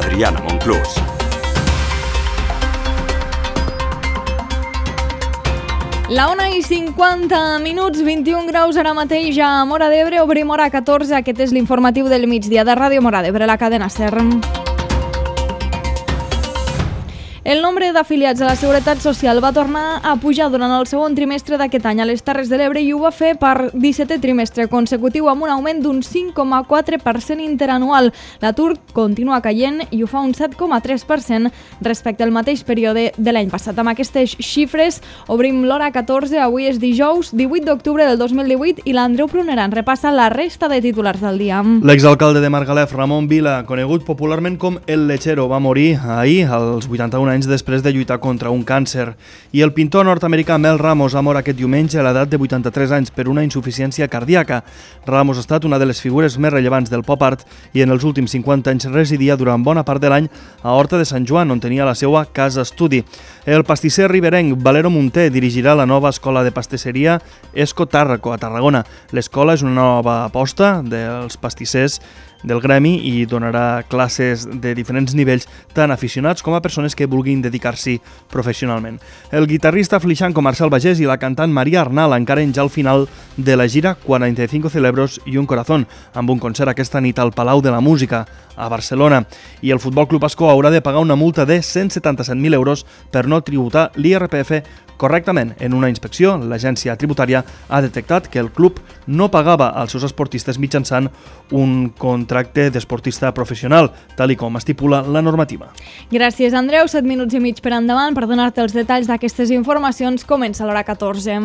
Adriana Monclús. La 1:50, 21 graus ara mateix a Móra d'Ebre, obrim hora 14. Aquest és l'informatiu del migdia de Ràdio Móra d'Ebre, la cadena SER. El nombre d'afiliats a la Seguretat Social va tornar a pujar durant el segon trimestre d'aquest any a les Terres de l'Ebre i ho va fer per 17è trimestre consecutiu amb un augment d'un 5,4% interanual. L'atur continua caient i ho fa un 7,3% respecte al mateix període de l'any passat. Amb aquestes xifres obrim l'hora 14. Avui és dijous 18 d'octubre del 2018 i l'Andreu Pruneran repassa la resta de titulars del dia. L'exalcalde de Margalef, Ramon Vila, conegut popularment com El Lechero, va morir ahir als 81 anys després de lluitar contra un càncer. I el pintor nord-americà Mel Ramos ha mort aquest diumenge a l'edat de 83 anys per una insuficiència cardíaca. Ramos ha estat una de les figures més rellevants del pop art i en els últims 50 anys residia durant bona part de l'any a Horta de Sant Joan, on tenia la seva casa estudi. El pastisser riberenc Valero Munté dirigirà la nova escola de pastisseria Esco Tàrraco a Tarragona. L'escola és una nova aposta dels pastissers del gremi i donarà classes de diferents nivells, tant aficionats com a persones que vulguin dedicar-s'hi professionalment. El guitarrista flixanco Marcel Bagés i la cantant Maria Arnal encaren ja al final de la gira 45 celebros i un corazón, amb un concert aquesta nit al Palau de la Música, a Barcelona. I el Futbol Club Ascó haurà de pagar una multa de 177.000 euros per no tributar l'IRPF correctament. En una inspecció, l'agència tributària ha detectat que el club no pagava als seus esportistes mitjançant un contracte d'esportista professional, tal com estipula la normativa. Gràcies, Andreu. 7 minuts i mig per endavant. Per donar-te els detalls d'aquestes informacions, comença l'hora 14.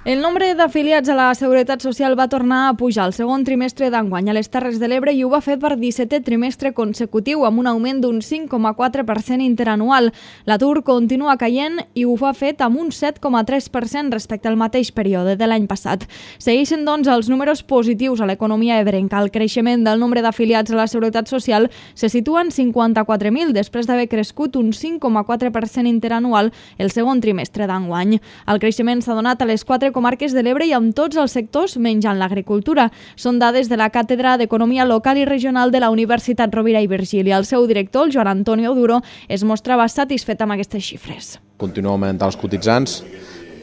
El nombre d'afiliats a la Seguretat Social va tornar a pujar el segon trimestre d'enguany a les Terres de l'Ebre i ho va fer per 17è trimestre consecutiu amb un augment d'un 5,4% interanual. L'atur continua caient i ho ha fet amb un 7,3% respecte al mateix període de l'any passat. Segueixen, doncs, els números positius a l'economia ebrenca. El creixement del nombre d'afiliats a la Seguretat Social se situa en 54.000 després d'haver crescut un 5,4% interanual el segon trimestre d'enguany. El creixement s'ha donat a les 4 comarques de l'Ebre i amb tots els sectors menjant l'agricultura. Són dades de la Càtedra d'Economia Local i Regional de la Universitat Rovira i Virgili. El seu director, el Joan Antonio Duro, es mostrava satisfet amb aquestes xifres. Continua augmentant els cotitzants,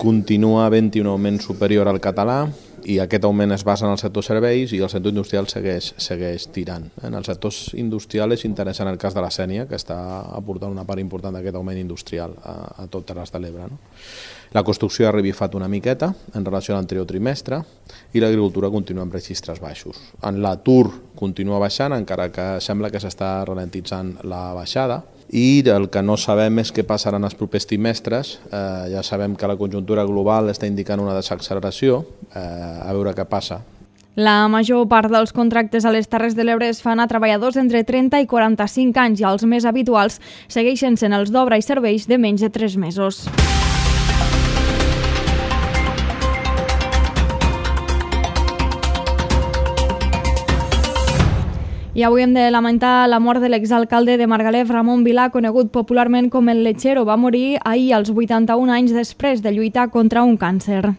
continua havent-hi un augment superior al català i aquest augment es basa en el sector serveis i el sector industrial segueix tirant. En el sector industrial és interessant el cas de la Sénia, que està aportant una part important d'aquest augment industrial a tot Terres de l'Ebre. La construcció ha revifat una miqueta en relació a l'anterior trimestre i l'agricultura continua amb registres baixos. En l'atur continua baixant, encara que sembla que s'està ralentitzant la baixada. I el que no sabem és què passarà en els propers trimestres. Ja sabem que la conjuntura global està indicant una desacceleració, a veure què passa. La major part dels contractes a les Terres de l'Ebre es fan a treballadors entre 30 i 45 anys i els més habituals segueixen sent els d'obra i serveis de menys de 3 mesos. I avui hem de lamentar la mort de l'exalcalde de Margalef, Ramon Vila, conegut popularment com El Lechero. Va morir ahir als 81 anys després de lluitar contra un càncer.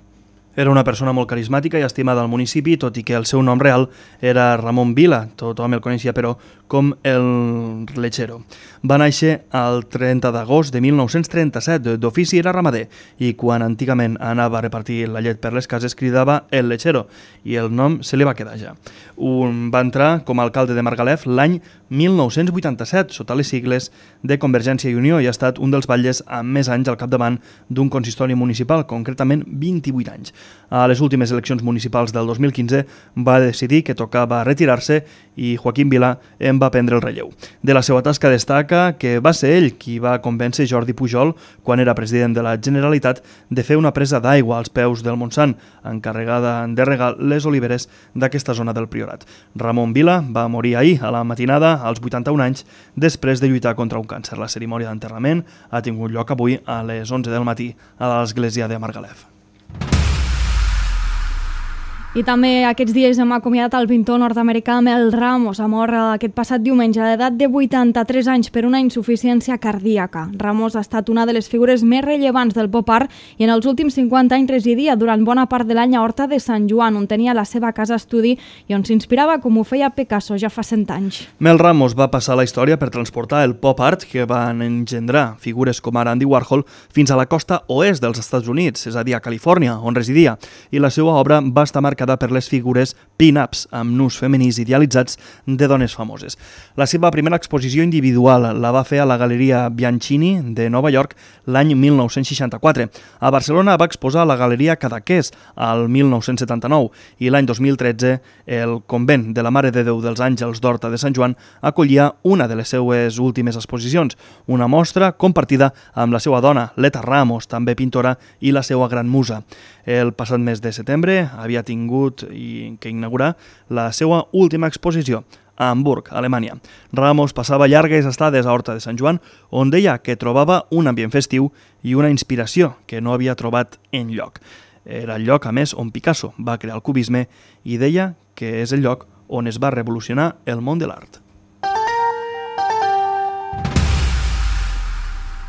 Era una persona molt carismàtica i estimada al municipi, tot i que el seu nom real era Ramon Vila. Tothom el coneixia, però, com El Lechero. Va néixer el 30 d'agost de 1937. D'ofici era ramader i quan antigament anava a repartir la llet per les cases cridava El Lechero i el nom se li va quedar ja. Va entrar com a alcalde de Margalef l'any 1987 sota les sigles de Convergència i Unió i ha estat un dels batlles amb més anys al capdavant d'un consistori municipal, concretament 28 anys. A les últimes eleccions municipals del 2015 va decidir que tocava retirar-se i Joaquim Vila en va prendre el relleu. De la seva tasca destaca que va ser ell qui va convèncer Jordi Pujol, quan era president de la Generalitat, de fer una presa d'aigua als peus del Montsant, encarregada de regar les oliveres d'aquesta zona del Priorat. Ramon Vila va morir ahir a la matinada als 81 anys després de lluitar contra un càncer. La cerimònia d'enterrament ha tingut lloc avui a les 11 del matí a l'església de Margalef. I també aquests dies hem acomiadat el pintor nord-americà Mel Ramos, ha mort aquest passat diumenge a l'edat de 83 anys per una insuficiència cardíaca. Ramos ha estat una de les figures més rellevants del pop art i en els últims 50 anys residia durant bona part de l'any a Horta de Sant Joan, on tenia la seva casa estudi i on s'inspirava com ho feia Picasso ja fa 100 anys. Mel Ramos va passar a la història per transportar el pop art que van engendrar figures com ara Andy Warhol fins a la costa oest dels Estats Units, és a dir, a Califòrnia, on residia, i la seva obra va estar marcada per les figures pin-ups amb nus femenins idealitzats de dones famoses. La seva primera exposició individual la va fer a la Galeria Bianchini de Nova York l'any 1964. A Barcelona va exposar a la Galeria Cadaqués al 1979 i l'any 2013 el convent de la Mare de Déu dels Àngels d'Horta de Sant Joan acollia una de les seues últimes exposicions, una mostra compartida amb la seva dona, Leta Ramos, també pintora, i la seva gran musa. El passat mes de setembre havia tingut que inaugurar la seva última exposició a Hamburg, Alemanya. Ramos passava llargues estades a Horta de Sant Joan, on deia que trobava un ambient festiu i una inspiració que no havia trobat enlloc. Era el lloc, a més, on Picasso va crear el cubisme i deia que és el lloc on es va revolucionar el món de l'art.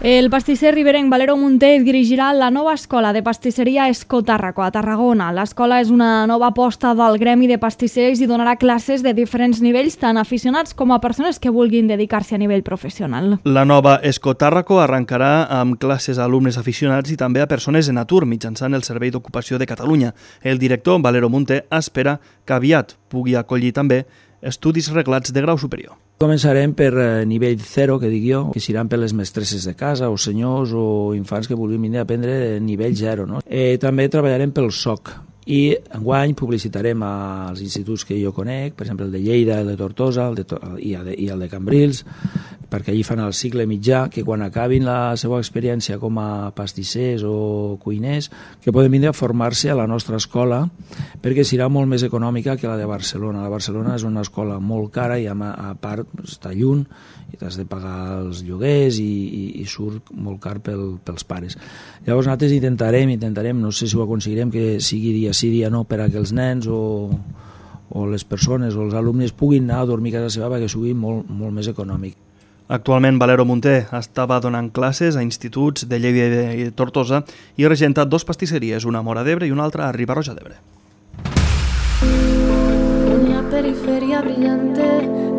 El pastisser riberenc Valero Munté dirigirà la nova escola de pastisseria Escotàrraco a Tarragona. L'escola és una nova aposta del gremi de pastissers i donarà classes de diferents nivells, tant aficionats com a persones que vulguin dedicar-se a nivell professional. La nova Escotàrraco arrencarà amb classes a alumnes aficionats i també a persones en atur mitjançant el Servei d'Ocupació de Catalunya. El director, Valero Munté, espera que aviat pugui acollir també estudis reglats de grau superior. Començarem per nivell 0, que dic jo, que seran per les mestresses de casa o senyors o infants que vulguin venir a aprendre nivell 0. No? També treballarem pel SOC i enguany publicitarem als instituts que jo conec, per exemple el de Lleida, el de Tortosa i el de Cambrils, perquè allí fan el cicle mitjà, que quan acabin la seva experiència com a pastissers o cuiners, que poden venir a formar-se a la nostra escola, perquè serà molt més econòmica que la de Barcelona. La Barcelona és una escola molt cara i a part està lluny i t'has de pagar els lloguers i surt molt car pels pares. Llavors nosaltres intentarem, no sé si ho aconseguirem, que sigui dia sí, dia no, per a que els nens o les persones o els alumnes puguin anar a dormir a casa seva perquè sigui molt més econòmic. Actualment, Valero Munté estava donant classes a instituts de Lleida i Tortosa i regenta 2 pastisseries, una a Móra d'Ebre i una altra a Riba-roja d'Ebre. En la periferia brillante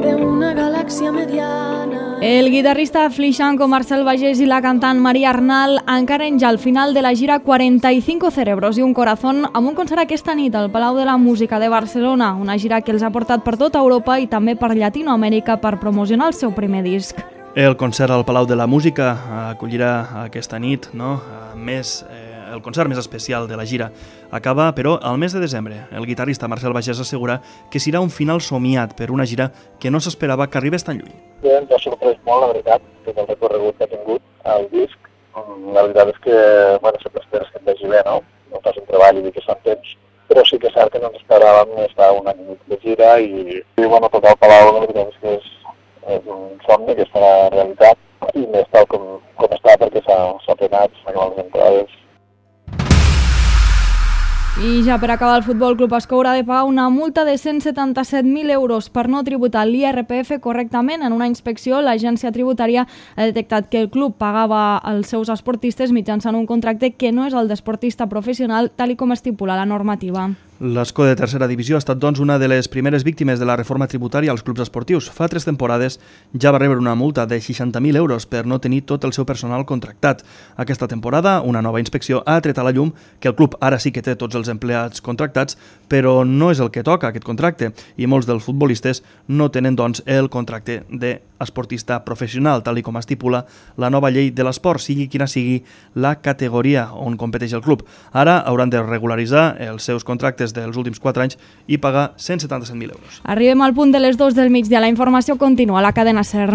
de una galaxia mediana. El guitarrista flixanco Marcel Bagés i la cantant Maria Arnal encaren ja al final de la gira 45 cerebros i un corazón amb un concert aquesta nit al Palau de la Música de Barcelona, una gira que els ha portat per tota Europa i també per Llatinoamèrica per promocionar el seu primer disc. El concert al Palau de la Música acollirà aquesta nit, el concert més especial de la gira. Acaba, però, al mes de desembre. El guitarrista Marcel Bagés assegura que serà un final somiat per una gira que no s'esperava que arribés tan lluny. Ens ha sorprès molt, la veritat, tot el recorregut que ha tingut el disc. La veritat és que, sempre esperes que et vegi bé, no? No fas un treball i que són temps, però sí que és cert que no ens esperàvem estar un any i mig de gira i tocar al Palau, la veritat és que és un somni que es farà realitat i més tal com està perquè s'ha plenat, s'han acabat les entrades. I ja per acabar, el Futbol Club Ascó haurà de pagar una multa de 177.000 euros per no tributar l'IRPF correctament. En una inspecció, l'agència tributària ha detectat que el club pagava als seus esportistes mitjançant un contracte que no és el d'esportista professional, tal com estipula la normativa. L'Ascó de tercera divisió ha estat, doncs, una de les primeres víctimes de la reforma tributària als clubs esportius. Fa 3 temporades ja va rebre una multa de 60.000 euros per no tenir tot el seu personal contractat. Aquesta temporada, una nova inspecció ha tret a la llum que el club ara sí que té tots els empleats contractats, però no és el que toca, aquest contracte, i molts dels futbolistes no tenen, doncs, el contracte d'esportista professional, tal com estipula la nova llei de l'esport, sigui quina sigui la categoria on competeix el club. Ara hauran de regularitzar els seus contractes dels últims 4 anys i pagar 177.000 euros. Arribem al punt de les 2 del migdia. La informació continua a la cadena SER.